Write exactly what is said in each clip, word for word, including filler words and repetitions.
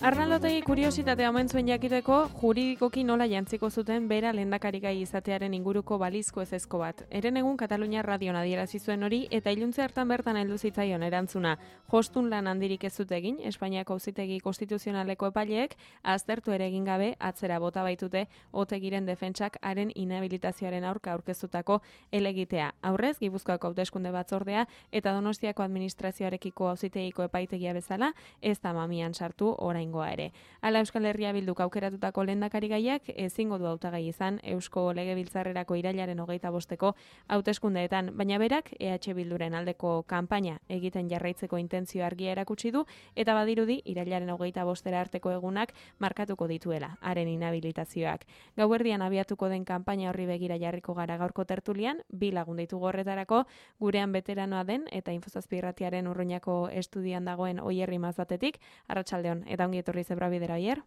Arnaldo Otegi kuriositatea omen zuen jakiteko juridikoki nola jantziko zuten bera lehendakarigai izatearen inguruko balizko ezezko bat. Eren egun Katalunia radion adierazi zuen hori eta iluntze hartan bertan heldu zitzaion erantzuna. Jostun lan handirik ez zut egin, Espainiako Auzitegi Konstituzionaleko epaileek aztertu ere egin gabe atzera bota baitute Otegiren defentsak haren inhabilitazioaren aurka aurkeztutako helegitea. Aurrez, Gipuzkoako hauteskunde batzordea eta Donostiako administrazioarekiko Auzitegiko epaitegia bezala ez da mamian sartu orain ere. Hala Euskal Herria Bilduk aukeratutako lehendakarigaiak ezingo du hautagai izan Eusko Legebiltzarrerako irailaren hogeita bosteko hauteskundeetan, baina berak E H Bilduren aldeko kanpaina egiten jarraitzeko intentzio argia erakutsi du eta badirudi irailaren hogeita bostera arteko egunak markatuko dituela haren inhabilitazioak. Gauerdian abiatuko den kanpaina horri begira jarriko gara gaurko tertulian, bi lagun ditugu horretarako, gurean beteranoa den eta Infozazpi irratiaren Urruñako estudian dagoen Oierri Mazatetik, arratsaldeon eta ongi etorri zebra bidera Oier.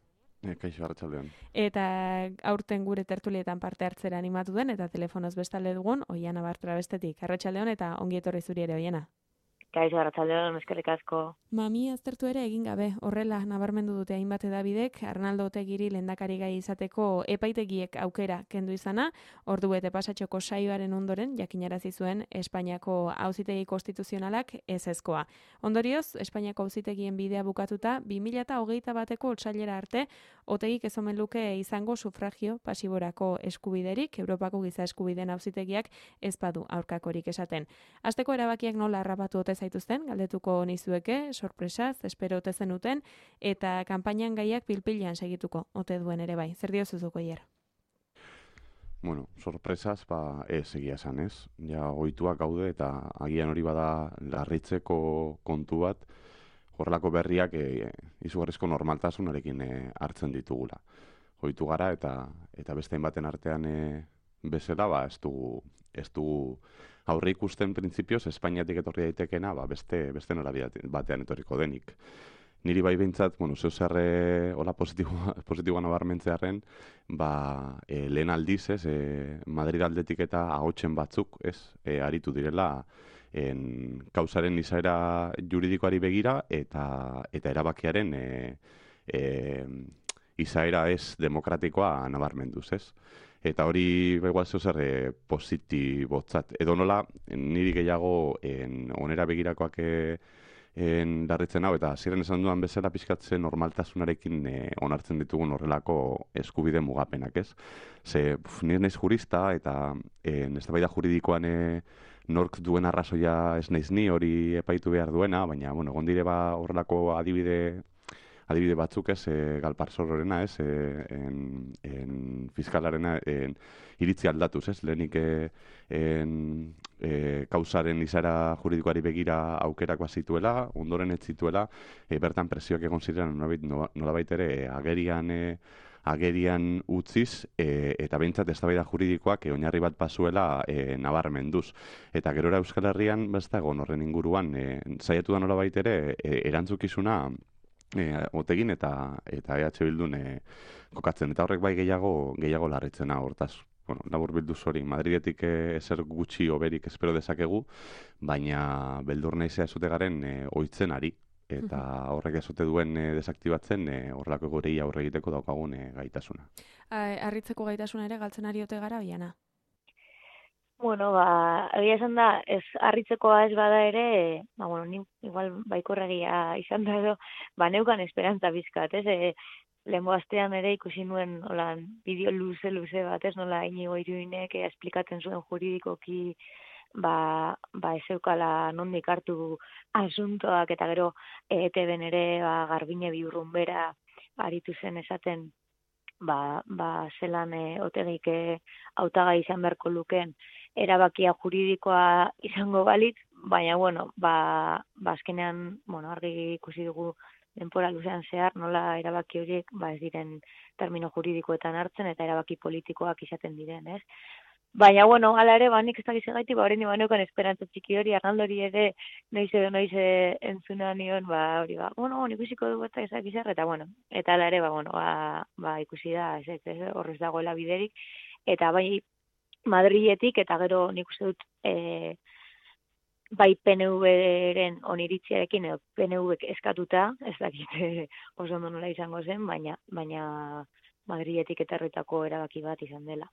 E, kaixo, arratsaldeon. Eta aurten gure tertulietan parte hartzera animatu den eta telefonoz bestalde dugun Oiana Bartra bestetik. Arratsaldeon eta ongi etorri zuri ere Oiana. Kaixo, arratsaldeon, eskerrik asko. Mami aztertu ere egin gabe, horrela nabarmendu dute hainbat hedabidek Arnaldo Otegiri lehendakarigai izateko epaitegiek aukera kendu izana, ordu bete pasatxoko saioaren ondoren jakinarazi zuen Espainiako Auzitegi Konstituzionalak ezezkoa. Ondorioz, Espainiako Auzitegien bidea bukatuta bi mila hogeita bateko otsailera arte Otegik ez omen luke izango sufragio pasiborako eskubiderik, Europako Giza Eskubideen Auzitegiak ez badu aurkakorik esaten. Hasteko erabakiak nola harrapatu ote zaituzten, galdetuko nizueke, sorpresaz, espero ote zenuten, eta kanpainan gaiak pilpilean segituko ote duen ere bai. Zer diozuzuko hier? Bueno, sorpresaz, ba, ez egia esan ez. Ja, ohituak gaude eta agian hori bada larritzeko kontu bat, horrelako berriak e, izugarrizko normaltasunarekin e, hartzen ditugula. Ohitu gara eta eta beste baten artean e, bezala, ba, ez dugu, ez dugu aurre ikusten printzipioz Espainiatik etorri daitekena, ba, beste, beste norabide batean etorriko denik. Niri bai behintzat, bueno, zeu zerre hola positiboa, positiboa nabarmentzearen, ba, e, lehen aldiz, ez, e, Madrid aldetik eta ahotsen batzuk, ez, e, aritu direla, en, kausaren izaera juridikoari begira eta eta erabakiaren e, e, izaera ez demokratikoa nabarmenduz, ez? Eta hori begoaz zer e, positibotzat. Edo nola, niri gehiago en, onera begirakoak e, en, darritzen hau, eta ziren esan duan bezala pixkatzen normaltasunarekin e, onartzen ditugun horrelako eskubide mugapenak, ez? Ze, pf, nire naiz jurista, eta en, eztabaida juridikoan e, nork duen arrazoia ez naiz ni hori epaitu behar duena, baina, bueno, gondire ba horrelako adibide adibide batzuk ez, e, Galparzorrorena ez, e, en, en fiskalarena en, iritzi aldatuz ez, lehenik e, en, e, kausaren izara juridikoari begira aukerak bazituela, ondoren ez zituela, e, bertan presioak egon ziren nolabait ere e, agerian e, agerian utziz, e, eta behintzat eztabaida juridikoak e, oinarri bat bazuela e, nabarmenduz. Eta gerora Euskal Herrian besta egon horren inguruan, e, saiatu da nolabait ere e, erantzukizuna E, Otegin eta eta E H Bildun e, kokatzen, eta horrek bai gehiago gehiago larritzena hortaz. Bueno, labur bilduz hori, Madridetik e, ezer gutxi oberik espero dezakegu, baina beldur naizea esute garen e, ohitzen ari, eta horrek ezote duen e, desaktibatzen e, horrelako gorei aurre egiteko daukagun e, gaitasuna. Harritzeko gaitasuna ere galtzen ari ote gara, Oiana? Bueno, ba, egia esan da, ez harritzekoa ez bada ere, ba, bueno, ni igual baikorregia izan da edo, ba, neukan esperantza bizkat, ez? E, lehenbo astean ere ikusi nuen, hola, bideo luze-luze bat, ez? Nola, Inigo Iruinek e, esplikatzen zuen juridikoki, ba, ba, ez eukala nondik hartu asuntoak, eta gero E T B-en ere, ba, Garbine Biurrunbera aritu zen esaten, ba, ba zelan e, Otegik e, hautagai izan beharko lukeen erabakia juridikoa izango balitz, baina, bueno, ba, ba azkenean, bueno, argi ikusi dugu denpora luzean zehar, nola erabaki horiek, ba ez diren termino juridikoetan hartzen, eta erabaki politikoak izaten diren, ez? Baina, bueno, ala ere, ba, nik ez dakiz egaiti, ba, horrein ibaneukan esperantza txiki hori, Arnaldori ere, noiz edo noiz entzuna nion, ba, hori, ba, bueno, nik ikusiko dugu eta ezak izar, eta, bueno, eta ala ere, ba, bueno, ba, ba ikusi da, ez, ez, ez, horrez dagoela biderik, eta bai, Madriletik, eta gero nik uste dut, e, bai P N V-ren oniritziarekin edo P N V eskatuta, ez dakit oso ondo nola izango zen, baina baina Madriletik etorritako erabaki bat izan dela.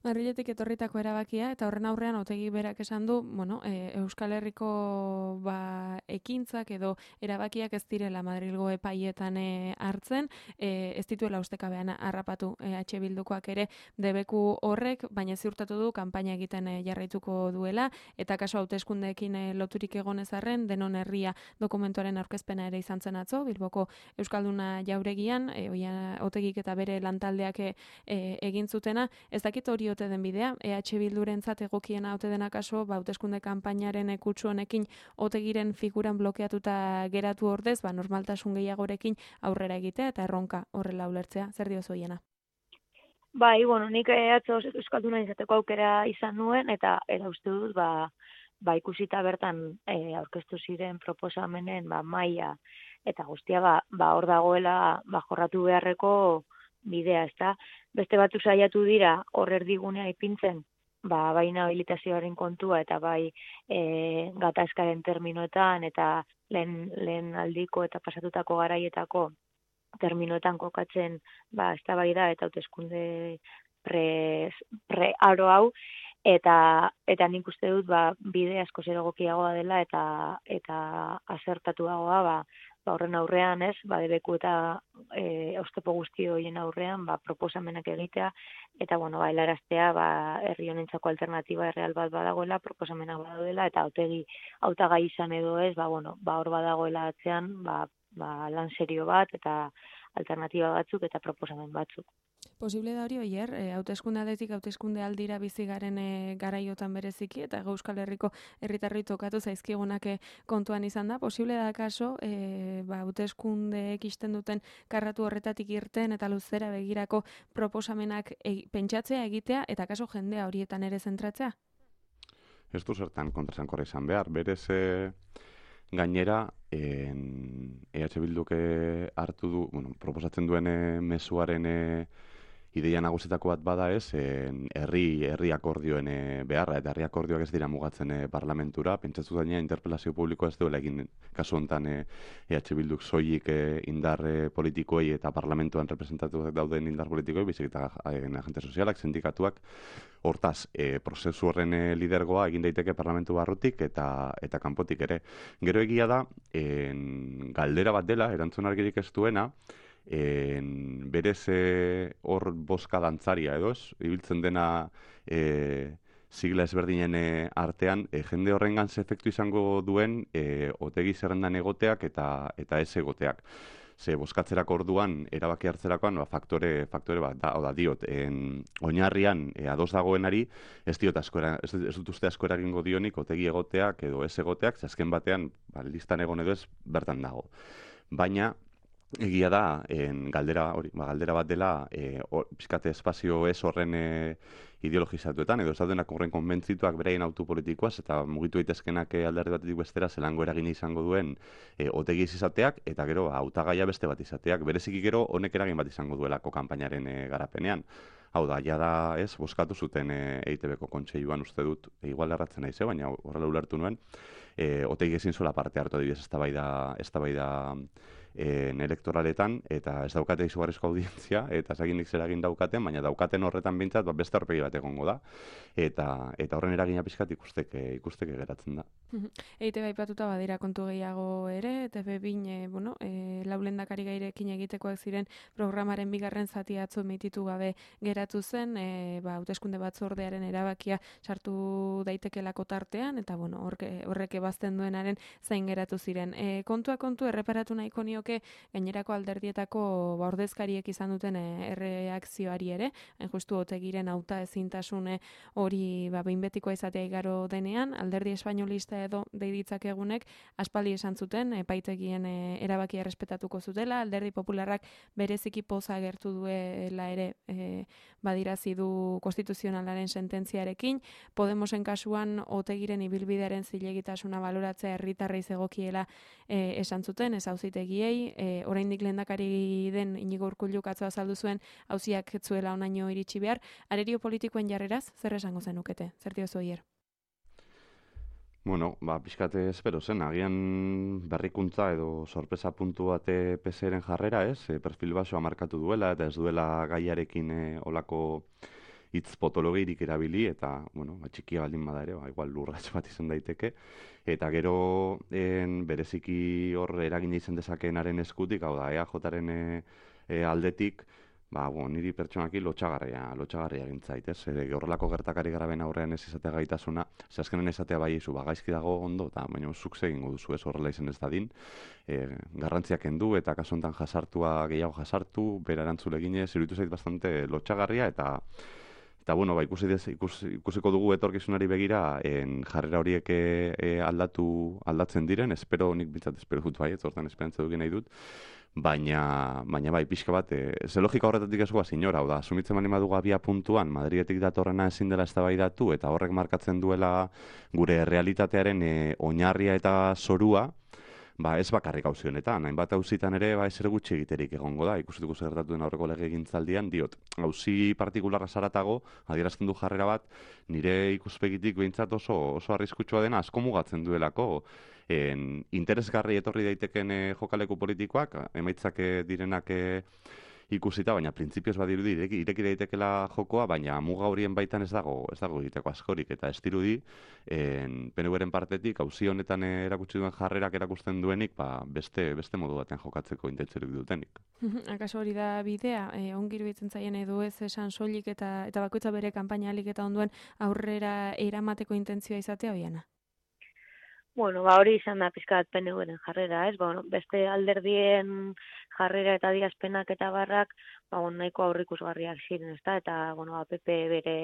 Madriletik etorritako erabakia, eta horren aurrean Otegi berak esan du, bueno, e, Euskal Herriko ba, ekintzak edo erabakiak ez direla Madrilgo epaietan e, hartzen, e, ez dituela ustekabean harrapatu e, H Bildukoak ere debeku horrek, baina ziurtatu du kanpaina egiten e, jarraituko duela, eta kaso hauteskundeekin e, loturik egonez arren, denon herria dokumentuaren aurkezpena ere izan zen atzo, Bilboko Euskalduna jauregian, e, oia, Otegik eta bere lantaldeak e, e, egin zutena, ez dakit hori ote den bidea, E H Bildurentzat egokiena ote dena kaso, ba, hauteskunde kanpainaren kutsu honekin Otegiren figuran blokeatuta geratu ordez, ba, normaltasun gehiagorekin aurrera egitea eta erronka horrela ulertzea. Zer diozu hiena? Bai, bueno, nik atzo euskalduna izateko aukera izan nuen, eta era uste dut, ba, ba ikusita bertan e, aurkeztu ziren proposamenen ba, maila, eta guztia ba, ba hor dagoela ba, jorratu beharreko bidea, ezta? Beste batzu saiatu dira hor erdigunea ipintzen, ba, bai nahabilitazioaren kontua eta bai e, gatazkaren terminoetan eta lehen, lehen aldiko eta pasatutako garaietako terminoetan kokatzen ba, eztabaida eta hauteskunde pre, pre aro hau, eta eta nik uste dut ba, bide asko zer egokiagoa dela eta eta azertatuagoa ba, ba horren aurrean, ez, ba debeku eta eh oztopo guzti horien aurrean, ba proposamenak egitea eta bueno, ba helaraztea, ba herri honentzako alternatiba erreal bat badagoela, proposamenak badaudela eta Otegi hautagai izan edo ez, ba bueno, ba hor badagoela atzean, ba ba lan serio bat eta alternatiba batzuk eta proposamen batzuk. Posible da hori, oier, e, hauteskunde aldetik hauteskunde aldira bizi garen e, garaiotan bereziki, eta Euskal Herriko herritarrei tokatu zaizkigunak e, kontuan izan da. Posible da kaso, e, ba, hauteskundeek isten duten karratu horretatik irten eta luzera begirako proposamenak e, pentsatzea egitea, eta kaso jendea horietan ere zentratzea? Ez du zertan kontrasankorra izan behar. Berez e, gainera, en, E H Bilduk hartu du, bueno, proposatzen duen e, mezuaren e, ideia nagusietako bat bada ez, en, herri, herri akordioen e, beharra, eta herri akordioak ez dira mugatzen e, parlamentura, pentsatzu gaina interpelazio publikoa ez duela egin kasu honetan e, E H Bilduk soilik e, indar e, politikoei eta parlamentuan representatuak dauden indar politikoei, bizik eta e, agente sozialak, sindikatuak. Hortaz, e, prozesu horren e, lidergoa egin daiteke parlamentu barrutik eta eta kanpotik ere. Gero egia da, en, galdera bat dela, erantzun argirik ez duena, en, berez hor boska dantzaria edo ez, ibiltzen dena e, sigla ezberdinen e, artean, e, jende horrengan ze efektu izango duen e, Otegi zerrendan egoteak eta eta ez egoteak. Ze boskatzerako orduan, erabaki hartzerakoan, ba, faktore, faktore bat, da, oda, diot, en, oinarrian e, ados dagoenari, ez diot askora, ez, ez dut uste asko eragingo dionik, Otegi egoteak edo ez egoteak, ze azken batean, ba, listan egon edo ez, bertan dago. Baina, egia da, en, galdera, hori, ba, galdera bat dela, e, or, pizkate espazio ez horren e, ideologizatuetan, edo ez daudenak horren konbentzituak beraien autu politikoaz, eta mugitu daitezkenak alderdi batetik bestera zelango eragin izango duen e, Otegi izateak, eta gero hautagaia beste bat izateak, bereziki gero honek eragin bat izango duelako kanpainaren e, garapenean. Hau da, ja da, ez, bozkatu zuten e, E I T B-ko kontseiluan uste dut, e, igual erratzen naiz, baina horrela ulertu nuen, e, Otegi ezin zuela parte hartu adibidez eztabaida eztabaida en elektoraletan, eta ez daukate izugarrizko audientzia, eta ezaginik zer egin daukaten, baina daukaten horretan bintzat, ba, beste aurpegi bat egongo da, eta eta horren eragina pixkat ikusteke, ikusteke geratzen da. E I T B aipatuta badira kontu gehiago ere, T V bin, e, bueno, e, laulendakari gairekin egitekoak ziren programaren bigarren zati atzo emititu gabe geratu zen, e, ba, hauteskunde batzordearen erabakia sartu daitekelako tartean, eta bueno, horke, horrek ebazten duenaren zain geratu ziren. E, kontua kontu erreparatu nahiko nioke gainerako alderdietako ba, ordezkariek izan duten e, erreakzioari ere, hain justu Otegiren hauta ezintasune hori ba, behin betikoa izatea igaro denean, alderdi espainolista edo deiditzak egunek aspaldi esan zuten epaitegien e, erabakia errespetatuko zutela, alderdi popularrak bereziki poza agertu duela ere e, badirazi du konstituzionalaren sententziarekin, Podemosen kasuan Otegiren ibilbidearen zilegitasuna baloratzea herritarrei zegokiela e, esan zuten, ez auzitegiei, e, oraindik lehendakari den Inigo Urkulluk atzo azaldu zuen auziak ez zuela onaino iritsi behar, arerio politikoen jarreraz, zer esango zenukete? Zer diozu hier? Bueno, ba, pixkate espero zen, agian berrikuntza edo sorpresa puntu bate P S eren jarrera, ez? E, perfil basoa markatu duela eta ez duela gaiarekin e, olako hitz potologirik erabili eta, bueno, ba, txikia baldin bada ere, ba, igual lurratx bat izan daiteke. Eta gero en, bereziki hor eragina izan dezakeenaren eskutik, hau da, E A Jaren e, e, aldetik, ba, bueno, niri pertsonaki lotxagarria, lotxagarria gintzait, ez? E, horrelako gertakari garaben aurrean ez izatea gaitasuna, ze azkenen esatea bai izu, ba, gaizki dago ondo, eta baina zuk egingo duzu ez horrela izan ez dadin, e, garrantziak kendu eta kasu honetan jasartua gehiago jasartu, bera erantzule ginez, iruditu zait bastante lotxagarria eta Eta, bueno, ba, ikusi dez, ikus, ikusiko dugu etorkizunari begira en jarrera horiek e, e, aldatu, aldatzen diren, espero, nik bintzat espero dut bai, ez hortan esperantza dukin nahi dut, baina, baina bai, pixka bat, e, ze logika horretatik ez guaz inora, hau da, asumitzen mani madugu abia puntuan, Madridetik datorrena ezin dela eztabaidatu eta horrek markatzen duela gure realitatearen e, oinarria eta zorua, ba, ez bakarrik auzi honetan, hainbat auzitan ere ba ezer gutxi egiterik egongo da. Ikusituko zer gertatu den aurreko legegintzaldian, diot. Auzi partikularra saratago, adierazten du jarrera bat, nire ikuspegitik behintzat oso oso arriskutsua dena asko mugatzen duelako. En, interesgarri etorri daiteken eh, jokaleku politikoak, emaitzak eh, direnak eh, ikusita, baina printzipioz badirudi ireki, ireki daitekela jokoa, baina muga horien baitan ez dago, ez dago egiteko askorik, eta ez dirudi, en, P N Uren partetik, auzi honetan erakutsi duen jarrerak erakusten duenik, ba, beste, beste modu batean jokatzeko intentzerik dutenik. Akaso hori da bidea, e, ongi iruditzen zaien edo ez esan soilik eta eta bakoitza bere kanpaina alik eta onduen aurrera eramateko intentzioa izatea hoiana? Bueno, ba hori izan da pizkat P N Uren jarrera, ez? Bueno, beste alderdien jarrera eta adierazpenak eta barrak, ba bueno, nahiko aurrikusgarriak ziren, ezta? Eta bueno, ba, P P bere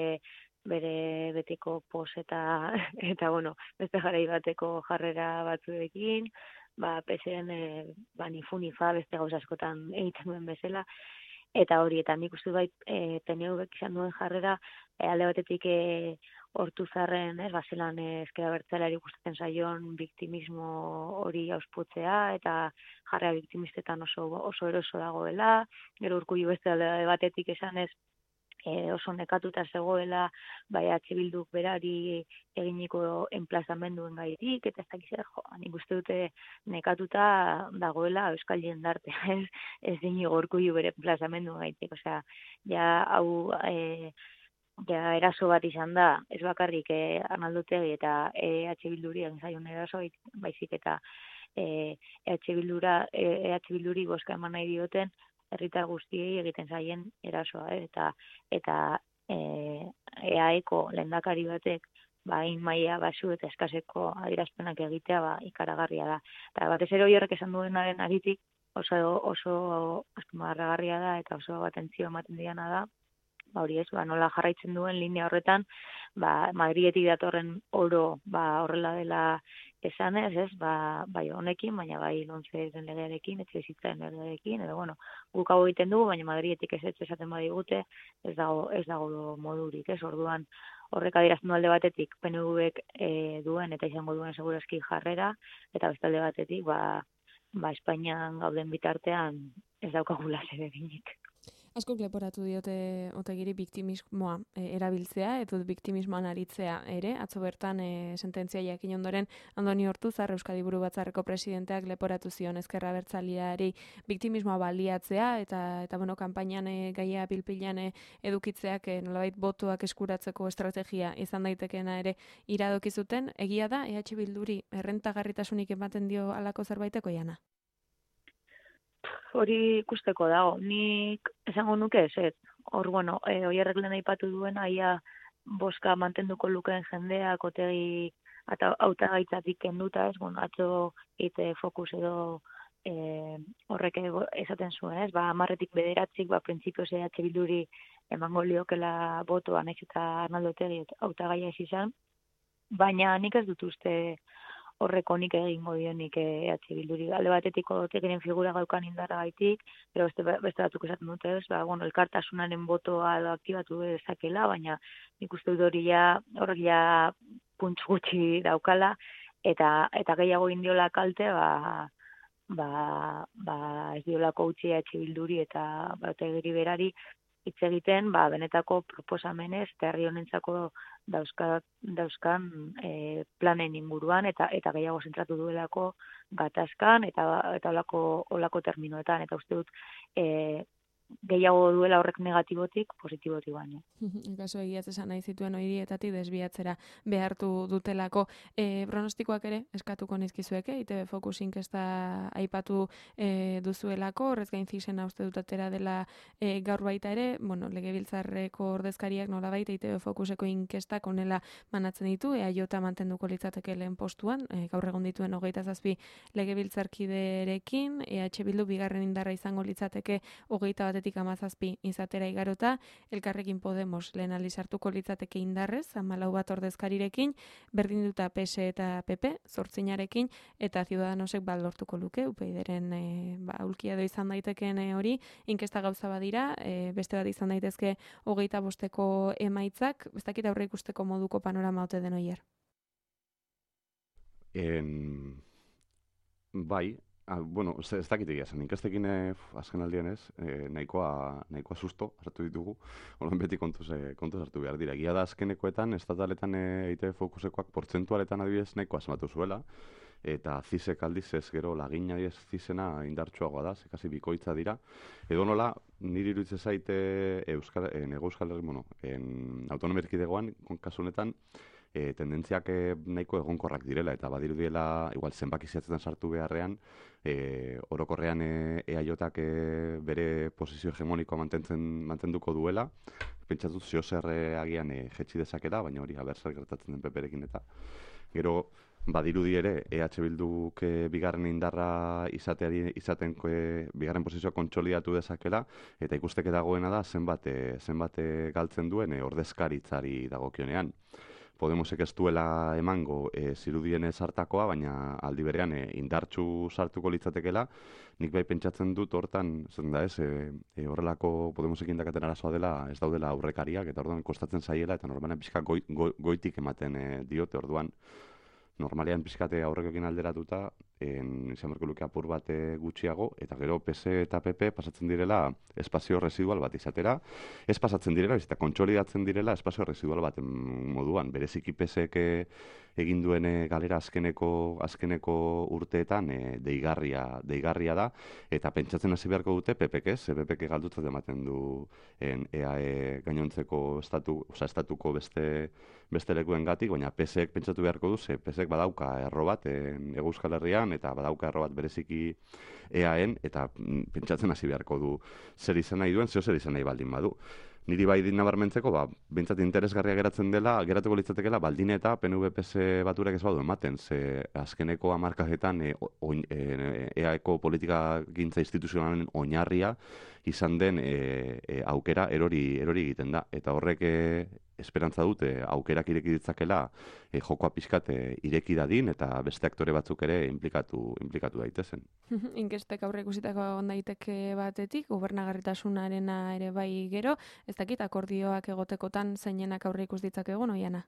bere betiko pos eta eta bueno, beste jarai bateko jarrera batzuekin, ba P S en e, ba ni fu ni fa beste gauza askotan egiten duen bezala. Eta hori, eta nik uste bai e, P N Ubek izan duen jarrera, e, alde batetik e, Ortuzarren, ez, bazelan ezkera bertzalari gustatzen zaion biktimismo hori ausputzea, eta jarrera biktimistetan oso, oso eroso dagoela, gero Urkullu beste alde batetik esan ez, e, oso nekatuta zegoela, bai H Bilduk berari eginiko enplazamenduen gaitik, eta ez dakiz, jo, nik uste dute nekatuta dagoela euskal jendarte, ez, ez dini Urkullu bere enplazamenduen gaitik, osea, ja, hau, e, ja, eraso bat izan da, ez bakarrik eh, Arnaldo Otegi eta E H Bilduri egin zaion eraso, baizik eta E H Bildura, E H Bilduri bozka eman nahi dioten herritar guztiei egiten zaien erasoa, eh? eta eta eh, E A Eko lehendakari batek ba hain maila basu eta eskaseko adierazpenak egitea ba ikaragarria da. Eta batez ere horrek esan duenaren aritik oso oso azpimarragarria da eta oso atentzio ematen diana da. Ba hori ez, ba nola jarraitzen duen linea horretan, ba Madridetik datorren oro ba horrela dela esanez, ez? Ba bai honekin, baina bai lontzeren legearekin, etxebizitzaren legearekin, edo bueno, guk hau egiten dugu, baina Madridetik ez esaten badigute, ez dago ez dago modurik, ez? Orduan horrek adierazten du alde batetik P N Ubek e, duen eta izango duen segurazki jarrera, eta beste alde batetik ba ba Espainian gauden bitartean ez daukagula zer eginik. Askok leporatu diote Otegiri biktimismoa e, erabiltzea, edo biktimismoan aritzea ere, atzo bertan e, sententzia jakin ondoren Andoni Ortuzar, Euskadi Buru Batzarreko presidenteak leporatu zion ezkerra abertzaleari biktimismoa baliatzea, eta, eta bueno, kanpainan e, gaia pilpilan e, edukitzeak e, nolabait botoak eskuratzeko estrategia izan daitekeena ere iradoki zuten. Egia da, E H Bilduri errentagarritasunik ematen dio halako zerbaiteko jana? Hori ikusteko dago, nik esango nuke ez, ez. Hor, bueno, e, oierrek lehen aipatu duen, aia boska mantenduko lukeen jendeak, Otegi eta hautagaitzatik kenduta, ez, bueno, atzo ite fokus edo e, horrek esaten zuen, ez, ba, amarretik bederatzik, ba, printzipioz E H Bilduri emango liokela botoa, nahiz eta Arnaldo Otegi hautagaia ez izan, baina nik ez dut uste horreko nik egingo dionik E H Bilduri. Alde batetik Otegiren figura gaukan indarra gaitik, pero beste, beste batzuk esaten dute ez, ba, bueno, elkartasunaren botoa edo aktibatu dezakela, baina nik uste dut hori ja, horrek ja puntz gutxi daukala, eta eta gehiago indiola kalte, ba, ba, ba ez diolako utzi E H Bilduri eta ba, Otegiri berari, hitz egiten, ba, benetako proposamenez, eta herri honentzako dauzka, dauzkan e, planen inguruan, eta eta gehiago zentratu duelako gatazkan, eta eta olako, olako terminoetan, eta uste dut, e, gehiago duela horrek negatibotik, positibotik baino. Kaso egiaz esan nahi zituen horietatik desbiatzera behartu dutelako. E, pronostikoak ere eskatuko nizkizueke, I T B Focus inkesta aipatu e, duzuelako, horrez gain zizena uste dut atera dela e, gaur baita ere, bueno, legebiltzarreko ordezkariak nolabait I T B Focuseko inkestak onela manatzen ditu, E A J mantenduko litzateke lehen postuan, e, gaur egon dituen hogeita zazpi legebiltzarkiderekin, E H Bildu bigarren indarra izango litzateke hogeita bat batetik hamazazpi izatera igarota, Elkarrekin Podemos lehen aldiz hartuko litzateke indarrez, hamalau bat ordezkarirekin, berdinduta P S eta P P, zortzinarekin, eta Ciudadanosek bat lortuko luke, U P Yren e, ba, aulkia edo izan daitekeen hori, inkesta gauza badira, e, beste bat izan daitezke hogeita bosteko emaitzak, ez dakit aurre ikusteko moduko panorama ote den oier. En... Bai, Ah, bueno, ez, ez dakit egia zen, inkestekin eh, azken aldian ez, eh, nahikoa, nahikoa susto hartu ditugu, holan beti kontuz, eh, kontuz hartu behar dira. Egia da azkenekoetan, estataletan eh, I T B Focusekoak portzentualetan adibidez nahiko asmatu zuela, eta zizek aldiz ez gero lagina adibidez zizena indartsuagoa da, ze kasi bikoitza dira. Edo nola, niri iruditzen zaite Euskal, eh, Nego Euskal Herri, bueno, en autonomia erkidegoan, kasu honetan, E, tendentziak e, nahiko egonkorrak direla, eta badirudiela, igual zenbaki zehatzetan sartu beharrean, e, orokorrean e, EAJak e, bere posizio hegemonikoa mantentzen mantenduko duela, pentsatuz zio zer e, agian e, jetxi dezakela, baina hori haber zer gertatzen den P P-rekin eta. Gero, badirudi ere, E H Bilduk e, bigarren indarra izateari izaten e, bigarren posizioa kontsolidatu dezakela, eta ikusteke dagoena da zenbat, e, zenbat e, galtzen duen e, ordezkaritzari dagokionean. Podemosek ez duela emango e, zirudienez hartakoa, baina aldi berean e, indartsu sartuko litzatekela, nik bai pentsatzen dut hortan, zen da ez, e, e, horrelako Podemosek indakaten arazoa dela, ez daudela aurrekariak, eta orduan kostatzen zaiela, eta normalean pixka goi, go, goitik ematen e, diote, orduan normalean pixkate aurrekoekin alderatuta, en, izan berko luke apur bat gutxiago, eta gero P S eta P P pasatzen direla espazio residual bat izatera, ez pasatzen direla, eta kontsolidatzen direla espazio residual bat moduan, bereziki P Sek egin duen galera azkeneko azkeneko urteetan e, deigarria, deigarria da, eta pentsatzen hasi beharko dute P Pek ez, P Pek galdutzat ematen du en, E A E gainontzeko estatu, oza, estatuko beste beste lekuen gatik, baina P Sek pentsatu beharko du, ze P Sek badauka erro bat en, Ego Euskal Herrian, eta badauka erro bat bereziki E A En, eta pentsatzen hasi beharko du zer izan nahi duen, zeo zer izan nahi baldin badu. Niri bai nabarmentzeko, ba, bintzat interesgarria geratzen dela, geratuko litzatekela, baldin eta P N V P S baturak ez badu ematen, ze azkeneko hamarkadetan e, e, E A Eko politika gintza instituzionalen oinarria izan den e, e, aukera erori, erori egiten da. Eta horrek e, esperantza dute aukerak ireki ditzakela e, jokoa pixkat e, ireki dadin eta beste aktore batzuk ere implikatu, implikatu daitezen. Inkestek aurre ikusitako ondaiteke batetik, gobernagarritasunarena ere bai gero, ez dakit akordioak egotekotan zeinenak aurre ikus ditzakegu, Oiana?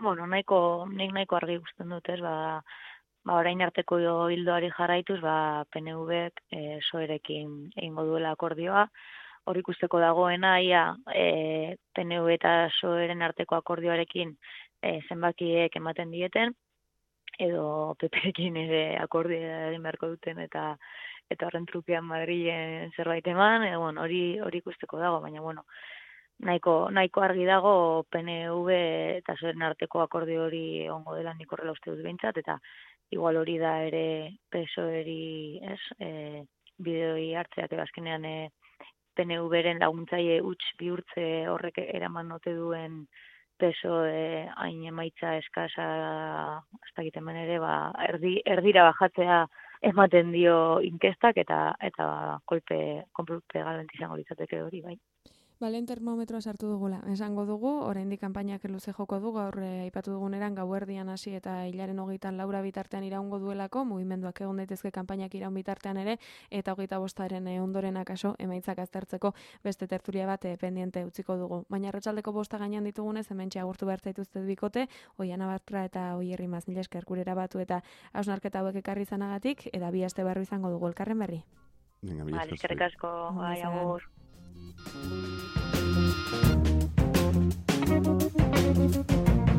Bueno, nahiko, nik nahiko argi ikusten dut, ez, ba, ba orain arteko hildoari jarraituz, ba P N Vek e, P S O Erekin egingo duela akordioa, hor ikusteko dagoena, ia e, P N V eta P S O Eren arteko akordioarekin e, zenbakiek ematen dieten, edo P Perekin ere akordioa egin beharko duten, eta eta horren trukean Madrilen zerbait eman, e, bueno, hori hori ikusteko dago, baina bueno, nahiko nahiko argi dago P N V eta P S O Eren arteko akordio hori egongo dela, nik horrela uste dut behintzat, eta igual hori da ere P S O Eri, ez, e, bideoi hartzeak azkenean e, P N Vren laguntzaile huts bihurtze horrek eraman ote duen P S O E hain emaitza eskasa, ez dakit hemen ere, ba, erdi, erdira bajatzea ematen dio inkestak, eta eta kolpe, kolpe galenti izango litzateke hori, bai. Balen termometroa sartu dugula. Esango dugu, oraindik kanpainak luze joko du, gaur eh, aipatu duguneran gauerdian hasi eta hilaren hogeitan laura bitartean iraungo duelako, mugimenduak egon daitezke kanpainak iraun bitartean ere, eta hogeita bostaren eh, ondoren akaso emaitzak aztertzeko beste tertulia bat eh, pendiente utziko dugu. Baina arratsaldeko bosta gainean ditugunez, hementxe agurtu behar zaituztet bikote, Oiana Bartra eta Oier Imaz, mila esker gurera batu eta hausnarketa hauek ekarri izanagatik, eta bi aste barru izango dugu elkarren berri. Venga, mila esker. Vale, eskerrik asko, bai, agur. Thank you.